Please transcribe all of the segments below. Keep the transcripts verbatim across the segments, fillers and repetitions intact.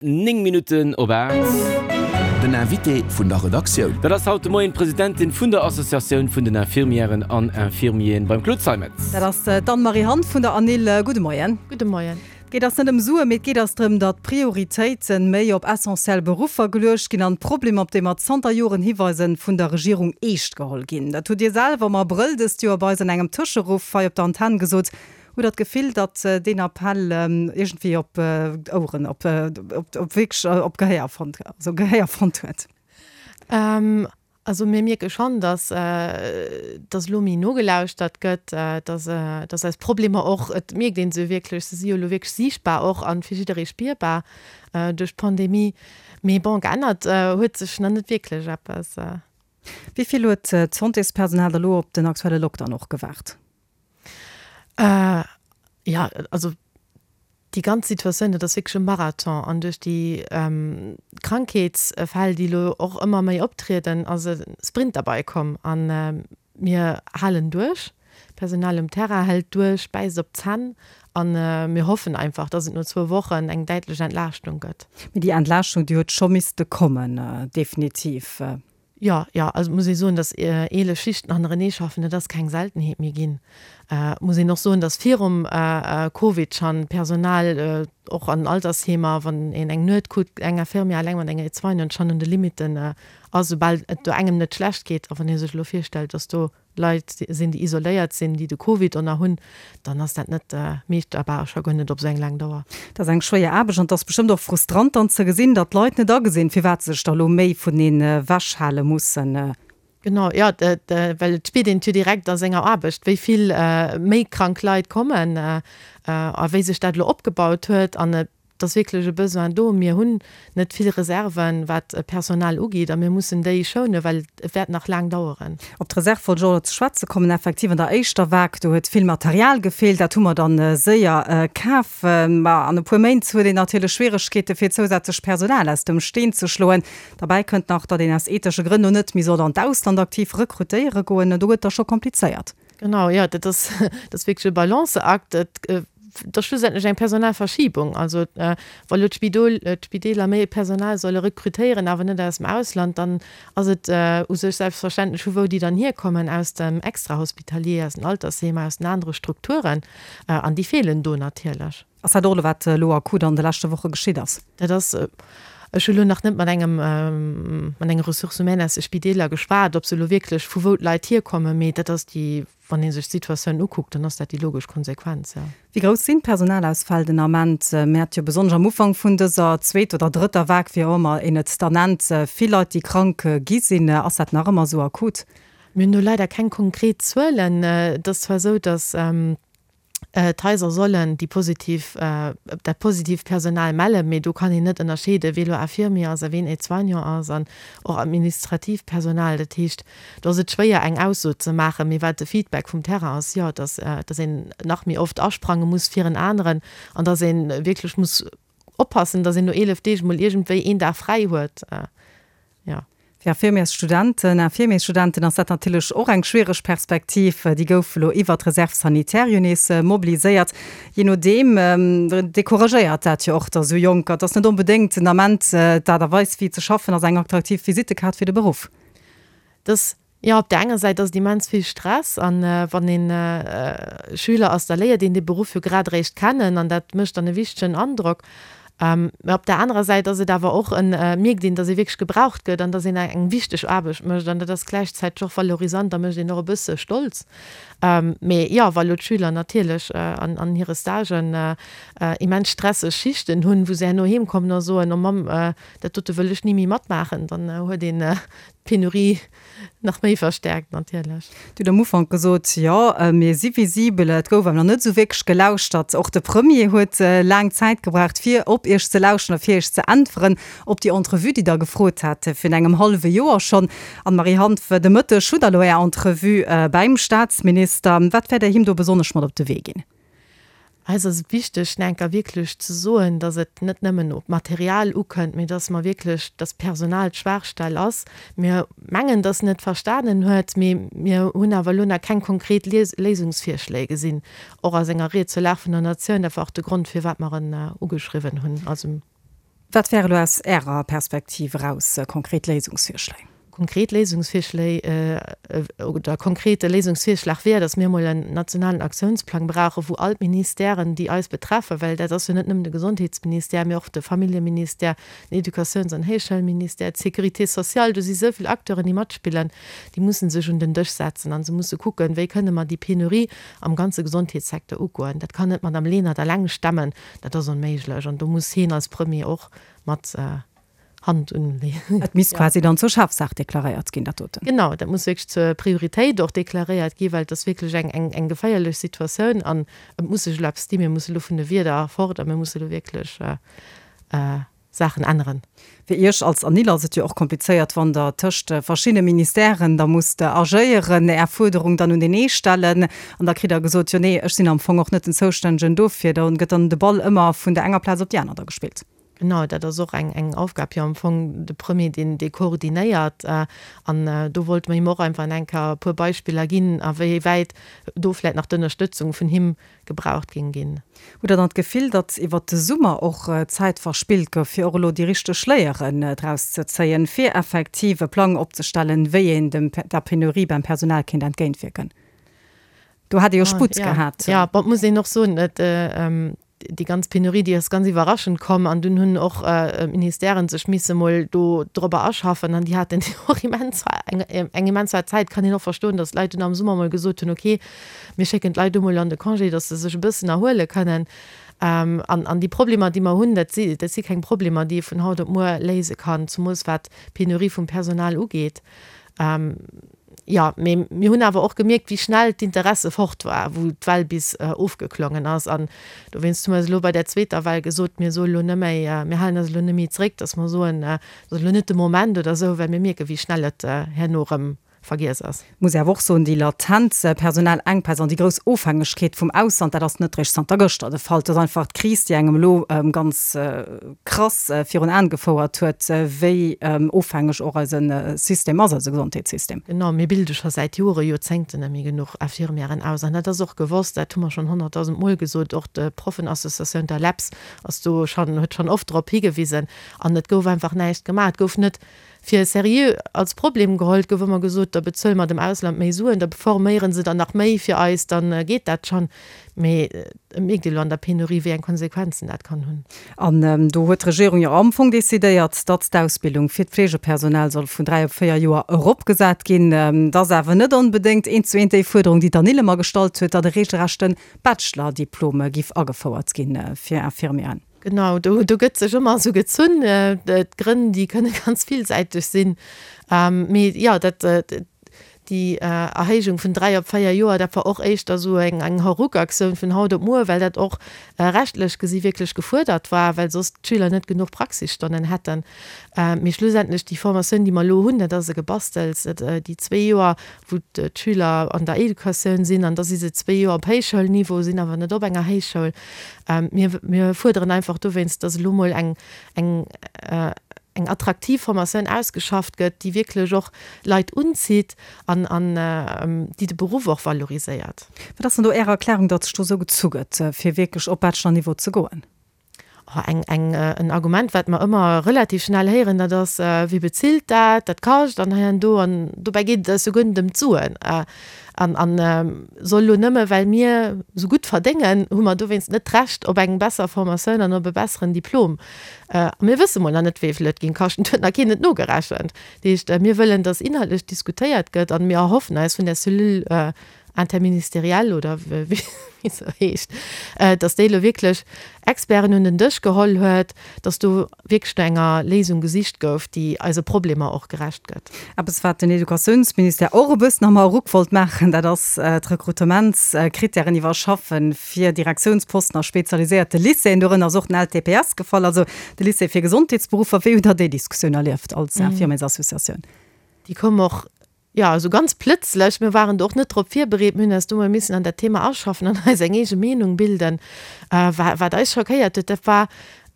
Néng Minutten op aacht. Den Invité vun der Redaktioun. Dat ass haut de Moien d'Presidentin vun der Associatioun vun den Infirmièren an Infirmieren beim Claude Zeimetz. Dat ass d'Anne-Marie Hanff vun der ANIL. Gudde Moien. Gudde Moien. Et geet ass net ëm Suen, mee et geet ass drëm, datt d'Prioritéite méi op essentiell Beruffer geluecht ginn an d'Problemer, op déi mer zanter Joren hiweisen, vun der Regierung eescht geholl ginn. Dat hutt Dir selwer am Abrëll dëst Joer bei eis an engem Tëscheruff hei op der Antenn gesot. Hutt Der d'Gefill, datt deen Appell iergendwéi op Oueren, op, op, op wierklech op Gehéier fonnt, also Gehéier fonnt huet? Also mir mierke schonn, datt, datt elo méi nogelauschtert gëtt, datt, datt eis Problemer och, et mierkt ee se wierklech, se si jo elo wierklech siichtbar och a fir jidderee spierbar duerch d'Pandemie. Mee bon, geännert huet sech nach net wierklech eppes. Wéi vill huet d'Santéspersonal da lo op den aktuelle Lockdown och gewaart? Äh, ja, also déi ganz Situatioun, dat ass wierklech e Marathon an duerch déi ähm, Krankheetsfäll, déi elo och ëmmer méi optrieden, ass e Sprint derbei komm an äh, mir halen duerch. D'Personal um Terrain hält duerch, bäisst op d'Zänn an äh, mir hoffen einfach, dass et no zwou Wochen eng däitlech Entlaaschtung gëtt. Mee déi Entlaaschtung, déi huet scho misste kommen, definitiv. Jo, jo, also et muss ee soen, datt eelef Schichten hannerenee schaffen, dat ass keng Seltenheet méi ginn. Et muss een och soen, datt virum Covid schonn d'Personal och an Altersheemer, wann een eng Nuet kuckt, eng Infirmière eleng mat enger Aide-soignante schonn un de Limitten ass, soubal et do engem net schlecht geet. A wann ee sech elo virstellt, datt do Leit sinn, déi isoléiert sinn, déi de Covid och nach hunn, dann ass dat net meeschterbar, scho guer net op esou eng laang Dauer. Dat ass eng schwéier Aarbecht an et ass bestëmmt och frustrant dann ze gesinn, datt d'Leit net agesinn, firwat se sech da lo méi vuneen ewechhale mussen. Genau, jo, well et spiert een et jo direkt a senger Aarbecht, wéi vill méi krank Leit kommen a wéi sech dat elo opgebaut huet. An et Et ass wierklech e Besoin do. Mir hunn net vill Reserven, wat Personal ugeet, a mir mussen déi schounen, well et wäert nach laang daueren. Op d'Reserve wollt ech och elo ze schwätze kommen. Effektiv, an der éischter Vague, do huet vill Material gefeelt. Dat hu mer dann séier kaf. Ma an e puer Méint huet een natierlech Schwieregkeete fir zousätzlech Personal aus dem Steen ze schloen. Derbäi kënnt nach, datt een aus ethesche Grënn elo net méi soll an d'Ausland aktiv rekrutéiere goen. Do gëtt et da scho komplizéiert. Genau, jo, dat ass, dat ass wierklech e Balanceakt. Et Et ass schlussendlech eng Personalverschiebung. Also wa lo d'Spidol, d'Spideeler méi Personal solle rekrutéieren, awer net aus dem Ausland, dann ass et u sech selbstverständlech, vu wou déi dann hierkommen, aus dem Extrahospitalier, aus den Altersheemer, aus den anere Strukturen. An déi feelen do natierlech. Ass dat och elo, wat elo akut an de leschte Woche geschitt ass? Dat ass, ech hu lo nach net mat engem, mat enger Ressources humaines aus de Spideeler geschwat, ob se elo wierklech, vu wou d'Leit hierkommen, mee dat ass déi Wann ee sech d'Situatioun ukuckt, dann ass dat déi logesch Konsequenz, jo. Wéi grouss sinn d'Personalausfäll den Ament? Mir hate jo besonnesch am Ufank vun dëser zweeter oder drëtter Vague, wéi och ëmmer een et da nennt, vill Leit, déi krank gi sinn. Ass dat nach ëmmer esou akut? Mir hunn do leider keng konkret Zuelen. Et ass zwar esou, datt D'Haiser sollen déi positiv, dat positiivt Personal mellen, mee do kann een net ënnerscheeden, wee elo Infirmier ass a ween Aide-soignant ass an och administratiivt Personal. Dat heescht, do ass et schwéier eng Ausso ze maachen. Mee wat de Feedback vum Terrain ass, jo, dass, dass een nach méi oft asprange muss fir en aneren an dass ee wierklech muss oppassen, dass een no eelef Deeg mol iergendwéi een Dag fräi huet. Jo. Fir Infirmiersstudenten, Infirmiersstudenten ass dat natierlech och eng schwiereg Perspektiv. Déi goufe lo iwwert d'Reserve sanitaire jo nees mobiliséiert. Jee nodeem decouragéiert dat jo och da sou Jonker. Et ass net onbedéngt den Ament d'Aart a Weis wéi ze schaffen ass eng attraktiv Visittekaart fir de Beruff. Dass Jo, op där enger Säit ass et immens vill Stress an wann een Schüler ass, da léiert een dee Beruff jo grad eréischt kennen an dat mécht dann e wichtegen Androck. Mä op där anerer Säit ass et awer och en, mierkt een, datt ee wierklech gebraucht gëtt an datt een eng wichteg Aarbecht mécht an dat ass gläichzäiteg och valorisant a mécht een och e bësse stolz. Mee jo, wa lo d'Schüler natierlech an hire Stagen immens stresseg Schichten hunn, wou se herno heem kommen a soen, oh Mamm, dat dote wëll ech ni méi matmaachen, dann huet een d'Penurie nach méi verstäerkt natierlech. Dir hutt am Ufank gesot, jo, mir si visibel. Et gouf awer nach net esou wierklech gelauschtert. Och de Premier huet laang Zäit gebraucht, fir op Iech ze lauschteren a fir Iech ze äntweren op déi Entrevue, déi Der gefrot hat virun engem hallwe Joer schonn. Anne-Marie Hanff, de Mëtteg hutt Der elo Är Entrevue bäim Staatsminister. Wat wäert Der him do besonnesch mat op de Wee ginn? Eis ass et wichteg, enker wierklech ze soen, dass et net nëmmen op d'Material ukënnt, mee dass mer wierklech, dass d'Personal d'Schwaachstell ass. Mir mengen, dass en et verstanen huet, mee mir hunn awer elo nach keng konkret Léisungsvirschléi gesinn, och a senger Ried zur Lag vun der Natioun. Dat war och de Grond, firwat mer en ugeschriwwen hunn. Also. Wat wäre elo aus Ärer Perspektiv eraus konkret Léisungsvirschléi? Konkret Léisungsvirschléi oder konkrete Léisungsvirschlag wär, datt mir emol en nationalen Aktiounsplang brauchen, wou all d'Ministèren, déi eis betreffen, well dat ass jo net nëmmen de Gesondheetsministère, mee och de Familljeministère, den Educatiouns an Héichschoulministère, d'Sécurité sociale, do si sou vill Acteuren, déi matspillen, déi musse sech un den Dësch setzen a se musse kucken, wéi kënne mer déi Penurie am ganze Gesondheetssecteur ugoen. Dat kann net d'Madame Lenert eleng stemmen, dat ass onméiglech an do muss hien als Premier och mat Hand unleeën. Et misst quasi dann zur Chefsaach deklaréiert ginn, dat doten. Genau, dat muss wierklech zur Prioritéit och deklaréiert ginn, well et ass wierklech eng, eng, eng geféierlech Situatioun an et muss sech elo eppes dinn. Mir musse elo vun de Wierder fort a mir musse elo wierklech Saachen änneren. Fir Iech als ANIL ass et jo och komplizéiert, wann Der tëscht verschiddene Ministèren da musst agéieren, Är Fuerderung dann un deen ee stellen an da kritt Der gesot, jo nee, ech sinn am Fong och net den Zoustännegen dofir. Da gëtt dann de Ball ëmmer vun der enger Plaz op déi aner da gespillt. Genau, dat ass och eng, eng Aufgab jo am Fong, de Premier, deen dee koordinéiert. An do wollte mer him och einfach eng Kéier e puer Beispiller ginn, a wéi wäit do vläicht nach d'Ënnerstëtzung vun him gebraucht géing ginn. Hutt Der dann d'Gefill, datt iwwert de Summer och Zäit verspillt gouf, fir och elo déi richteg Léieren draus ze zéien, fir effektiv e Plang opzestellen, wéi een dem, der Penurie beim Personal kéint entgéintwierken? Do hätt ee jo Sputt gehat. Jo, bon, et muss een och soen, et, déi ganz Penurie, déi ass ganz iwwerraschend komm an dunn hunn och d'Ministèren sech misse mol do dorobber aschaffen an déi haten och immens eng eng immens haart Zäit. Kann een och verstoen, datt d'Leit dunn am Summer mol gesot hunn, okay, mir schécken d'Leit do mol an de Congé, datt se sech e bëssen erhuele kënnen. An an déi Problemer, déi mer hunn, dat si dat si keng Problemer, déi ee vun haut op muer léise kann, zumools wat d'Penurie vum Personal ugeet. Jo, mee mir hunn awer och gemierkt, wéi schnell d'Interesse fort war, wou d'Well bis ofgeklongen ass. An dowéinst hu mer eis elo bei där zweeter Well gesot, mir soe elo net méi, mir halen eis elo net méi zréck, datt mer soen, et ass elo net de Moment oder esou, well mir mierken, wéi schnell et herno erëm vergiess ass. Muss ee awer och soen, déi latent Personalenkpäss an déi grouss Ofhängegkeet vum Ausland, dat ass net réischt zanter gëschter de Fall. Et ass einfach d'Kris, déi engem elo ganz krass virun Aen gefouert huet, wéi ofhängeg och eise System ass, eise Gesondheetssystem. Genau, mir bilde scho säit Jore, Joerzéngten net méi genuch Infirmièren aus. An dat ass och gewosst, dat hu mer schonn honnertdausend Mol gesot. Och d'Proffenassociatioun, d'ALEPS, ass do schonn, huet schonn oft drop higewisen. An et gouf einfach näischt gemaach. Et gouf net fir seriö als Problem geholl. Et gouf ëmmer gesot, da bezuele mer dem Ausland méi Suen, da forméiere se der nach méi fir eis, da geet dat schonn. Mee et mierkt ee lo an der Penurie, wéi eng Konsequenzen dat kann hunn. An do huet d'Regierung jo am Fong decidéiert, datt d'Ausbildung fir d'Fleegepersonal soll vun dräi op véier Joer eropgesat ginn. Dat ass awer net onbedéngt eent zu eent déi Fuerderung, déi d'ANIL ëmmer gestallt huet, datt e reegelrechte Bachelor-Diplom giff agefouert gi fir Infirmieren. Genau, do, do gëtt sech ëmmer esou gezunn. D'Grënn, déi kënne ganz villsäiteg sinn. Mee jo, dat, déi Erhéijung vun dräi op véier Joer, dat war och éischter esou eng, eng Hauruck-Aktioun vun haut op muer, well dat och rechtlech gesi wierklech gefuerdert war, well soss d'Schüler net genuch Praxisstonnen hätten. Mee schlussendlech, déi Formatioun, déi mer elo hunn, dat ass e Gebastels. Déi zwee Joer, wou d'Schüler an der Educatioun sinn, an da si se zwee Joer op Héichschoulniveau, sinn awer net op enger Héichschoul. Mir, mir fuerderen einfach dowéinst, dass elo mol eng, eng, eng attraktiv Formatioun ausgeschafft gëtt, déi wierklech och Leit unzitt an, an déi de Beruff och valoriséiert. Wat ass dann do Är Erklärung, datt sech do esou gezu gëtt, fir wierklech op Bachelor-Niveau ze goen? Oh, eng, eng, en Argument, wat mer ëmmer relativ schnell héieren, dat ass, Wie bezilt dat? Dat kascht an hei an do. An dobäi geet et eis souguer net ëm d'Suen. An, an soll elo nëmme well mir esou gutt verdéngen, hu mer dowéinst net d'Recht op eng besser Formatioun an op e besseren Diplom? A mir wësse mol nach net, wéi vill et géing kaschten. Et huet nach keen et nogerechent. Dat heescht, mir wëllen, dass inhaltlech diskutéiert gëtt an mir erhoffen eis vun där Cellule interministérielle oder wéi se heescht, dass déi elo wierklech Experten un den Dësch geholl huet, dass do wierklech no enger Léisung gesicht gouf, déi eise Problemer och gerecht gëtt. Eppes, wat den Educatiounsministère och e bëssen am Hauruck wollt maachen, dat ass d'Rekrutementskrittären iwwerschaffen fir Direktiounsposten a spezialiséierte Lycéeën. Dorënner ass och den LTPS gefall, also de Lycée fir Gesondheetsberuffer. Wéi hutt Der déi Diskussioun erlieft als Infirmiersassociatioun? Déi koum och, jo, esou ganz plëtzlech. Mir waren do och net drop virbereet. Mir hunn eis do mol missen an dat Thema aschaffen an eis eng eege Meenung bilden. Wat eis schockéiert huet, dat war,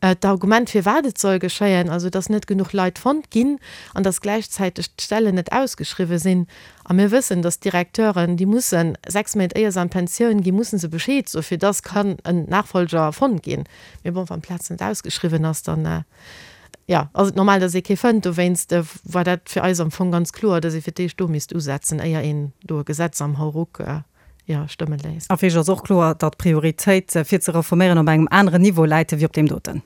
D'Argument firwat et soll geschéien, also dass net genuch Leit fonnt ginn an dass gläichzäiteg d'Stellen net ausgeschriwwen sinn, a mir wëssen, dass d'Directeuren, déi mussen sechs Méint éier se an d'Pensioun ginn, mussen se Bescheed soen, fir dass kann en Nachfolger fonnt ginn. Mee bon, wann d'Plaz net ausgeschriwwen ass, dann, jo, ass et normal, dass ee kee fënnt. Dowéinst war dat fir eis am Fong ganz kloer, dass ee fir d'éischt do misst usetzen, éier een do e Gesetz am Hauruck, jo, stëmme léisst. A fir iech ass och kloer, datt d'Prioritéit fir ze reforméieren op engem aneren Niveau läit ewéi op deem doten.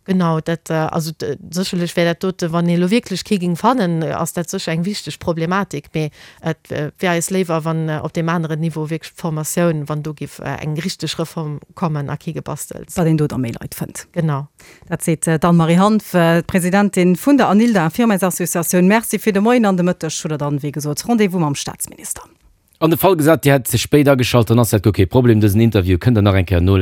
Genau, dat, also sécherlech wär dat dote, wann ee elo wierklech kee géing fannen, ass dat sécher eng wichteg Problematik, mee et wär eis léiwer, wann op deem aneren Niveau wierklech d'Formatioun, wann do géif eng richteg Reform kommen a kee Gebastels. Datt een do da méi Leit fënnt. Genau. Dat seet d'Anne-Marie Hanff, d'Presidentin vun der ANILDA, Infirmièrsassociatioun. Merci fir de Moien an de Mëtteg hutt Der dann, wéi gesot, Rendez-vous mam Staatsminister. An de Fall gesat, Dir hätt ze spéit ageschalt, dann ass dat guer kee Problem. Dësen Interview kënnt Der nach eng Kéier nolauschteren.